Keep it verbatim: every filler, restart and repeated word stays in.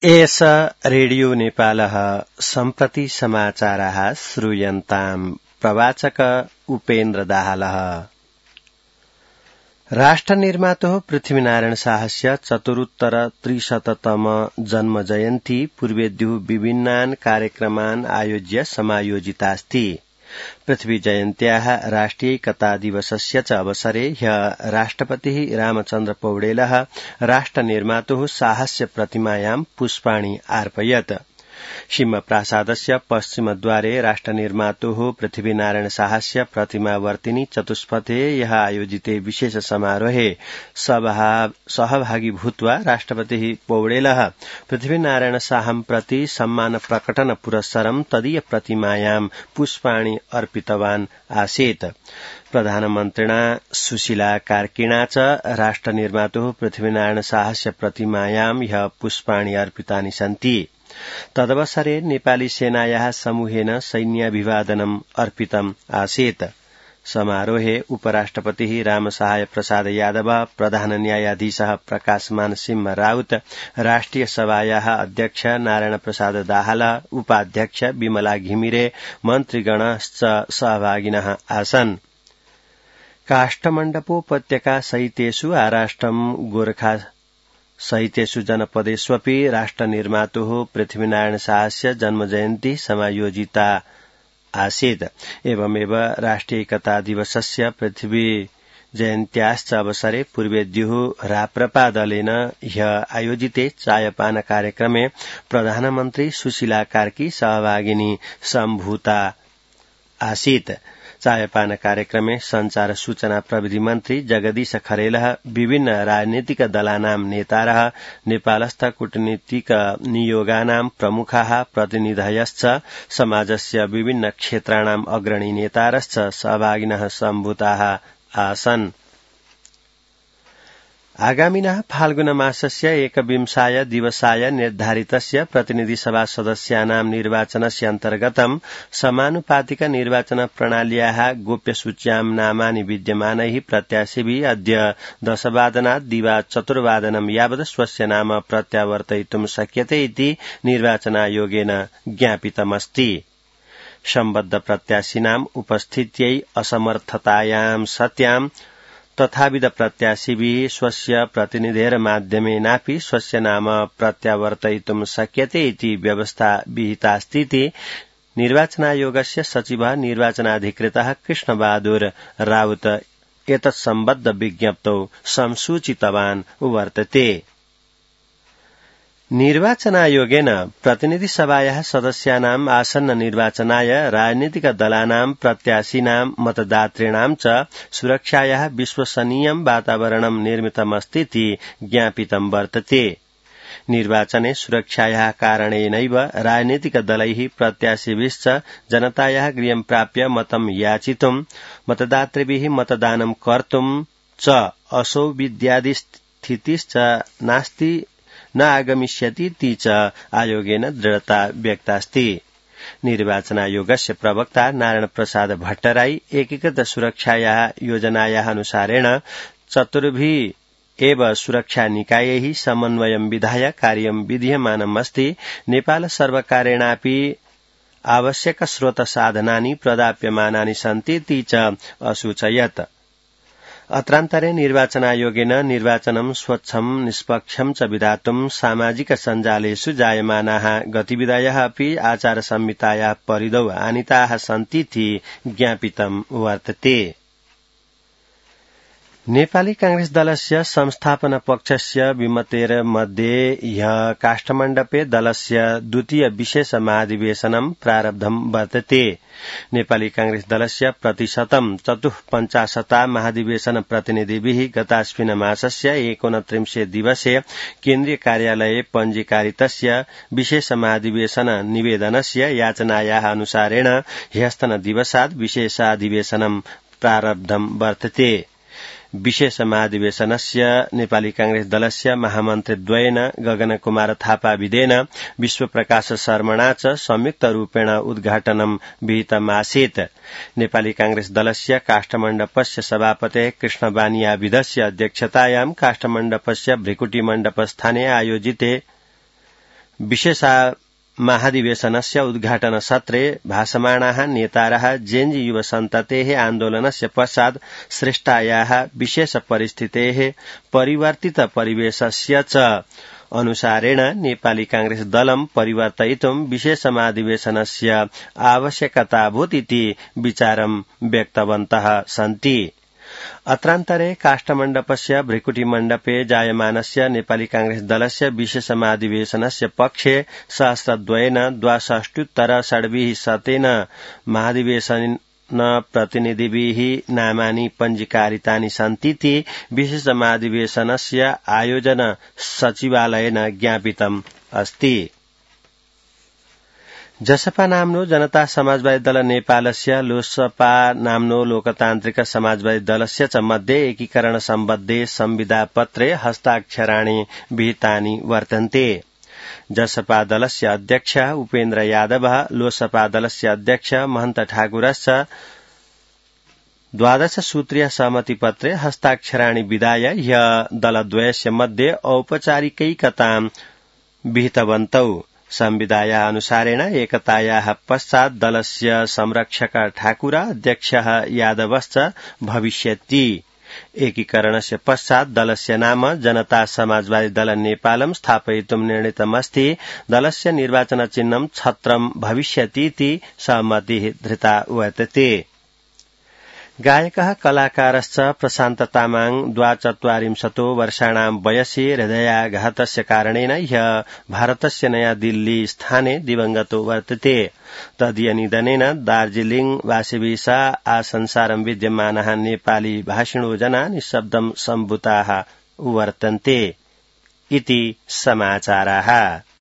एष रेडियो नेपालः सम्प्रति समाचारः श्रूयन्ताम्। प्रवाचक उपेन्द्र दाहालः। राष्ट्रनिर्मातुः पृथ्वीनारायण शाहस्य चतुरुत्तर त्रिशततम जन्म जयन्ती पूर्वेद्युः विभिन्नान् कार्यक्रमान् आयोज्य समायोजितास्ति। पृथ्वी जयन्त्याः राष्ट्रियैकता दिवसस्य च अवसरे ह्यः राष्ट्रपतिः रामचन्द्र पौडेलः राष्ट्रनिर्मातुः शाहस्य प्रतिमायां पुष्पाणि अर्पयत्। सिंहप्रासादस्य पश्चिमद्वारे राष्ट्रनिर्मातुः पृथ्वीनारायण शाहस्य प्रतिमावर्तिनि चतुष्पथे यः आयोजिते विशेष समारोहे सहभागी भूत्वा राष्ट्रपतिः पौडेलः पृथ्वीनारायण शाहं प्रति सम्मान प्रकटन पुरस्सरं तदीय प्रतिमायां पुष्पाणि अर्पितवान् आसीत्। प्रधानमन्त्रिणा सुशीला कार्किणा च राष्ट्रनिर्मातुः पृथ्वीनारायण शाहस्य प्रतिमायां ह्यः पुष्पाणि अर्पितानि सन्ति। तदवसरे नेपाली सेनायाः समूहेन सैन्याभिवादनम् अर्पितम् आसीत्। समारोहे उपराष्ट्रपतिः रामसहाय प्रसाद यादव, प्रधान न्यायाधीशः प्रकाशमान सिंह राउत, राष्ट्रिय सभायाः अध्यक्ष नारायण प्रसाद दाहाल, उपाध्यक्ष विमला घिमिरे, मन्त्रीगणश्च सहभागिनः आसन्। काष्ठमण्डपोपत्यका सहितेषु आराष्ट्रम् गोरखा सहितेषु जनपदेष्वपि राष्ट्रनिर्मातुः पृथ्वीनारायण शाहस्य जन्मजयन्ती समायोजिता आसीत्। एवमेव राष्ट्रियैकता दिवसस्य पृथ्वी जयन्त्याश्च अवसरे पूर्वेद्युः राप्रपा दलेन ह्यः आयोजिते चायपान कार्यक्रमे प्रधानमन्त्री सुशीला कार्की सहभागिनी सम्भूता आसीत्। चायपान कार्यक्रमे संचार सूचना प्रविधि मन्त्री जगदीश खरेलः, विभिन्न राजनीतिक दलानां नेतारः, नेपालस्थ कूटनीतिक नियोगानां प्रमुखाः प्रतिनिधयश्च समाजस्य विभिन्न क्षेत्राणाम् अग्रणी नेतारश्च सहभागिनः सम्भूताः आसन्। आगामिनः फाल्गुन मासस्य एकविंशाय दिवसाय निर्धारितस्य प्रतिनिधिसभा सदस्यानां निर्वाचनस्य अन्तर्गतं समानुपातिक निर्वाचन प्रणाल्याः गोप्यसूच्यां नामानि विद्यमानैः प्रत्याशिभिः अद्य दशवादनात् दिवा चतुर्वादनं यावत् स्वस्य नाम प्रत्यावर्तयितुं शक्यते इति निर्वाचनायोगेन ज्ञापितमस्ति। सम्बद्ध प्रत्याशिनाम् उपस्थित्यै असमर्थतायां सत्यां तथाविध प्रत्याशिभिः स्वस्य प्रतिनिधेर्माध्यमेनापि स्वस्य नाम प्रत्यावर्तयितुं शक्यते इति व्यवस्था विहितास्तीति निर्वाचनायोगस्य सचिवः निर्वाचनाधिकृतः कृष्णबहादुर राउत एतत्सम्बद्ध विज्ञप्तौ संसूचितवान् वर्तते। निर्वाचनायोगेन प्रतिनिधिसभायाः सदस्यानाम् आसन्न निर्वाचनाय राजनीतिक दलानां प्रत्याशिनां मतदातॄणां च सुरक्षायाः विश्वसनीयं वातावरणं निर्मितमस्तीति ज्ञापितं वर्तते। निर्वाचने सुरक्षायाः कारणेनैव राजनीतिक दलैः प्रत्याशिभिश्च जनतायाः गृहं प्राप्य मतं याचितुं मतदातृभिः मतदानं कर्तुं च असौविध्यादि स्थितिश्च नास्ति न आगमिष्यतीति च आयोगेन दृढता व्यक्तास्ति। निर्वाचनायोगस्य प्रवक्ता नारायण प्रसाद भट्टराई एकीकृत सुरक्षायाः योजनायाः अनुसारेण चतुर्भिः एव सुरक्षा निकायैः समन्वयं विधाय कार्यं विधीयमानमस्ति। नेपाल सर्वकारेणापि आवश्यक स्रोत साधनानि प्रदाप्यमानानि सन्तीति च असूचयत्। अत्रान्तरे निर्वाचनायोगेन निर्वाचनं स्वच्छं निष्पक्षं च विधातुं सामाजिक सञ्जालेषु जायमानाः गतिविधयः अपि आचार संहितायाः परिधौ आनीताः सन्तीति ज्ञापितं वर्तते। नेपाली कांग्रेस दलस्य संस्थापन पक्षस्य विमतेर्मध्ये ह्यः काष्ठमण्डपे दलस्य द्वितीय विशेष महाधिवेशनं प्रारब्धं वर्तते। नेपाली कांग्रेस दलस्य प्रतिशतं चतुःपञ्चाशता महाधिवेशन प्रतिनिधिभिः गतास्मिन् मासस्य एकोनत्रिंशे दिवसे केन्द्रीय कार्यालये पञ्जीकारितस्य विशेष महाधिवेशन निवेदनस्य याचनायाः अनुसारेण ह्यस्तन दिवसात् विशेषाधिवेशनं प्रारब्धं वर्तते। विशेष महाधिवेशनस्य नेपाली कांग्रेस दलस्य महामन्त्रीद्वयेन गगन कुमार थापा विदेन विश्वप्रकाश शर्मणा च संयुक्त रूपेण उद्घाटनं विहितमासीत्। नेपाली कांग्रेस दलस्य काष्ठमण्डपस्य सभापतेः कृष्ण बानिया विधस्य अध्यक्षतायां काष्ठमण्डपस्य भृकुटी मण्डपस्थाने आयोजिते विशेषा महाधिवेशनस्य उद्घाटन सत्रे भाषमाणाः नेतारः जेन्जी युवसन्ततेः आन्दोलनस्य पश्चात् सृष्टायाः विशेष परिस्थितेः परिवर्तित परिवेशस्य च अनुसारेण नेपाली कांग्रेस दलं परिवर्तयितुं विशेष महाधिवेशनस्य आवश्यकताभूत् इति विचारं व्यक्तवन्तः सन्ति। अत्रान्तरे काष्ठमण्डपस्य भृकुटिमण्डपे जायमानस्य नेपाली कांग्रेस दलस्य विशेष महाधिवेशनस्य पक्षे सहस्रद्वयेन द्वाषष्ट्युत्तर षड्भिः शतेन महाधिवेशन प्रतिनिधिभिः नामानि पञ्जीकारितानि सन्तीति विशेष महाधिवेशनस्य आयोजन सचिवालयेन ज्ञापितम् अस्ति। जसपा नाम्नो जनता समाजवादी दल नेपालस्य लोसपा नाम्नो लोकतान्त्रिक समाजवादी दलस्य च मध्ये एकीकरण सम्बद्धे संविदापत्रे हस्ताक्षराणि विहितानि वर्तन्ते। जसपा दलस्य अध्यक्ष उपेन्द्र यादव लोसपा दलस्य अध्यक्ष महन्त ठाकुरश्च द्वादश सूत्रीय सहमतिपत्रे हस्ताक्षराणि विधाय ह्य दलद्वयस्य मध्ये औपचारिकैकतां विहितवन्तौ। संविधाया अनुसारेण एकतायाः पश्चात् दलस्य संरक्षक ठाकुर अध्यक्षः यादवश्च भविष्यति। एकीकरणस्य पश्चात् दलस्य नाम जनता समाजवादी दल नेपालम् स्थापयितुं निर्णीतमस्ति। दलस्य निर्वाचन चिह्नं छत्रं भविष्यतीति सहमतिः धृता वर्तते। गायकः कलाकारश्च प्रशान्त तामाङ द्वाचत्वारिंशतो वर्षाणां वयसि हृदयाघातस्य कारणेन ह्य भारतस्य नयाँ दिल्ली स्थाने दिवंगतो वर्तते। तदीय निधनेन दार्जिलिङ वासिभिसा आसंसारं विद्यमानः नेपाली भाषिणो जना निःशब्दं सम्भूताः वर्तन्ते इति समाचाराः।